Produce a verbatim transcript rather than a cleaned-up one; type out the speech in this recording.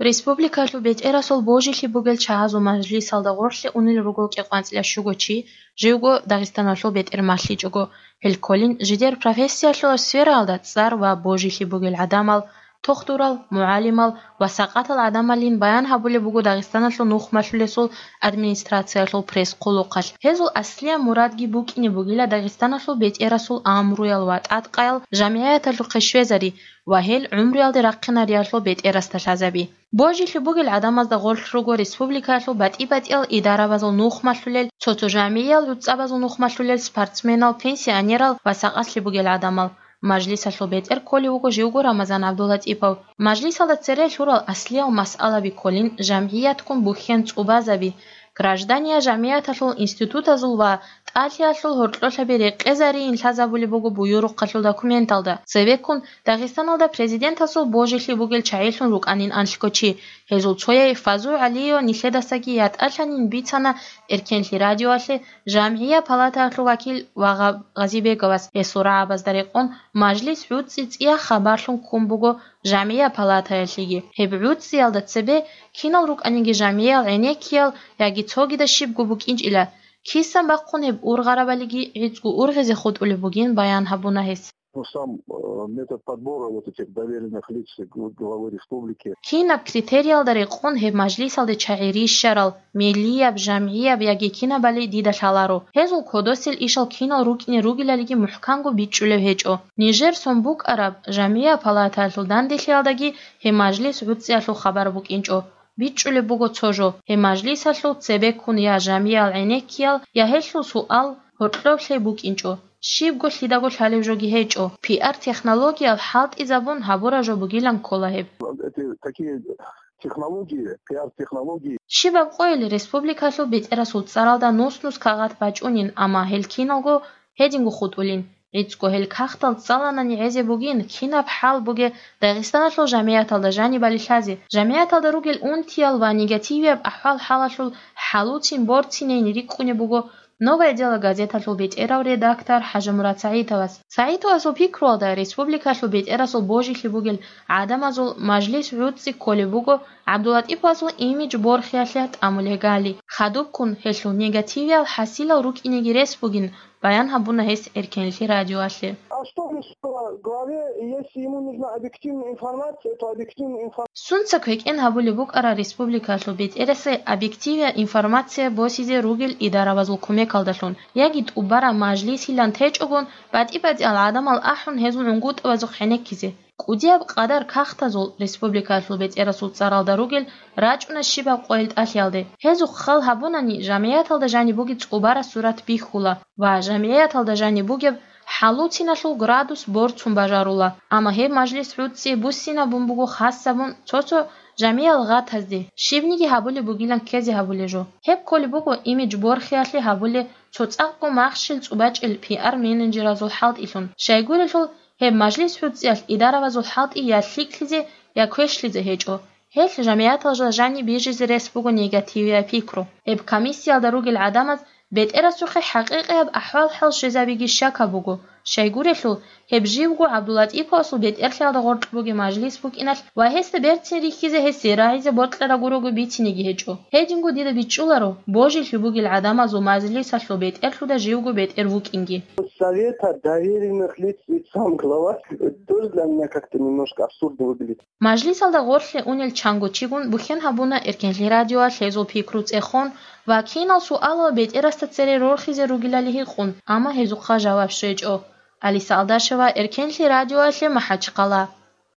Республикалъул бетӀерасул божилъи бугел чагьазул мажлисалда гъорлъе унел руго кӀикъоялда щуго чи, живго Дагъистаналъул бетӀер малъичӀого. Гьел кколин жидер профессиялъул сфераялда цӀар ва божилъи бугел гӀадамал, тохдурал, мугӀалимал ва сакъатал гӀадамалин баян гьабулеб буго Дагъистаналъул нухмалъулесул администрациялъул пресс-хъулухъалъ. Гьезул аслияб мурадги букӀине бугила Дагъистаналъул бетӀерасул амруял ва тӀадкъаял жамгӀияталъухъе щвезари ва гьел гӀумруялде рахъинариялъул бетӀерасда лъазаби. Божилъи бугел гӀадамазда гъорлъ руго республикаялъул батӀи-батӀиял идарабазул нухмалъулел, цо-цо жамгӀиял гӀуцӀабазул нухмалъулел, спортсменал, пенсионерал ва сакъатлъи бугел гӀадамал. Мажлисалъул бетӀер кколев вуго живго Рамазан ГӀабдуллатӀипов. Мажлисалда цере лъурал аслиял масъалаби кколин жамгӀиятккун бухьен цӀубазаби, граждания жамгӀияталъул институтазул ва тӀалъиялъул гьоркьолъаби рекъезариин лъазабулеб буго буюрухъалъул документалда. Цебеккун Дагъистаналда президентасул божилъи бугел чагӀилъун рукӀанин анлъго чи. Гьезул цояй Фазу ГӀалиева нилъедасаги ятӀалъанин бицана Эркенлъи радиоялъе жамгӀия палатаялъул вакил ва Гъа-, Гъазибеговас. Гьесул рагӀабазда рекъон мажлис гӀуцӀи цӀияб хабарлъун ккун буго жамгӀия палатаялъеги. Гьеб гӀуцӀиялда цебе кинал рукӀаниги жамгӀиял гӀенеккиял яги цогидал щибго букӀинчӀила, кисан бахъун гьеб ургъарабалиги гӀицӀго ургъизе хутӀулеб бугин баян гьабуна гьес. Ну, сам, э, метод подбора вот этих доверенных лиц г-, главы республики. Кинаб критериялда рекъон гьеб мажлисалде чагӀи рищарал, мелияб, жамгӀияб яги кинабали дида лъаларо. Гьезул кодосел ишал кинал рукӀине ругелалиги мухӀканго бичӀчӀулеб гьечӀо. Нижер сон букӀараб жамгӀия палатаялъул данделъиялдаги гьеб мажлис гӀуцӀиялъул хабар букӀинчӀо. БичӀчӀулеб буго цо жо, гьеб мажлисалъул цебеккун я жамгӀиял гӀенеккиял, я гьелъул суал гьоркьоблъи букӀинчӀо, щибго лъидаго лъалеб жоги гьечӀо. Пиар-технологиял хӀалтӀизабун гьабураб жо бугилан ккола гьеб. Эти такие технологии, пиар-технологии. Щибаб къойил республикалъул бетӀерасул цӀаралда нус-нус кагъат бачӀунин, амма гьел киналго гьединго хутӀулин. ГӀицӀго гьел кагътал цӀаланани гӀезе бугин, кинаб хӀал бугеб Дагъистаналъул жамгӀияталда жанибали лъазе. ЖамгӀияталда ругел унтиял ва негативияб ахӀвал-хӀалалъул хӀалуцин борцинейин рикӀкӀунеб буго «Новое дело» газеталъул бетӀерав редактор ХӀажимурад СагӀитовас. СагӀитовасул пикруялда, республикалъул бетӀерасул божилъи бугел гӀадамазул мажлис гӀуцӀи кколеб буго ГӀабдуллатӀиповасул имидж борхиялъе тӀамулеб гали. Хадубккун гьелъул негативиял хӀасилал рукӀинеги рес бугин, баян гьабуна гьес Эркенлъи радиоялъе. А что мешало главе, если ему нужна объективная информация, то объективная информация. Сунца квекӀен гьабулеб букӀара республикалъул бетӀерасе объективия информация босизе ругел идарабазул кумекалдалъун, яги тӀубараб мажлисилан течӀогон, батӀи-батӀиял гӀадамал ахӀун гьезул гӀунгутӀабазухъ гӀенеккизе. КӀудияб къадар кагътазул республикалъул бетӀерасул цӀаралда ругел рачӀуна щибаб къойил тӀалъиялде. Гьезухъ хал гьабунани, жамгӀияталда жаниб бугеб цӀубараб сурат бихьула ва жамгӀияталда жаниб бугеб хӀалуциналъул градус борцун бажарула. Амма гьеб мажлис гӀуцӀи буссинабун буго хасабун цо-цо жамгӀиял гъатазде, щибниги гьабулеб бугилан ккезе гьабулеб жо. Гьеб кколеб буго имидж борхиялъе гьабулеб цо цӀакъго махщел цӀубачӀел пиар-менеджеразул хӀалтӀилъун. Щайгурелъул, гьеб мажлис гӀуцӀиялъ идарабазул хӀалтӀи я лъикӀлъизе, я квешлъизе гьечӀо. Гьелъ жамгӀияталда жаниб бижизе рес буго негативияб пикру. Гьеб комиссиялда ругел гӀадамаз бетӀерасухъе хӀакъикъияб ахӀвал-хӀал щвезабиги щакаб буго. Щайгурелъул, гьеб живго ГӀабдуллатӀиповасул бетӀерлъиялда гъоркь бугеб мажлис букӀиналъ ва гьесда берцин рихьизе гьесие рагӀизе бокьараб гурого бицинеги гьечӀо. Гьединго дида бичӀчӀуларо, божилъи бугел гӀадамазул мажлисалъул бетӀерлъуда живго бетӀер вукӀинги. Совета доверенных лиц и сам глава, тоже для меня как-то немножко абсурдно выглядит. Мажлисалда гъорлъе унел чанго чигун бухьен гьабуна Эркенлъи радиоялъ гьезул пикру цӀехон ва кинал суалал бетӀерасда цере рорхизе ругелали гьикъун, амма гьезухъа жаваб щвечӀо. Алиса Алдашева, Эркенлъи радиоялъе, МахӀачхъала.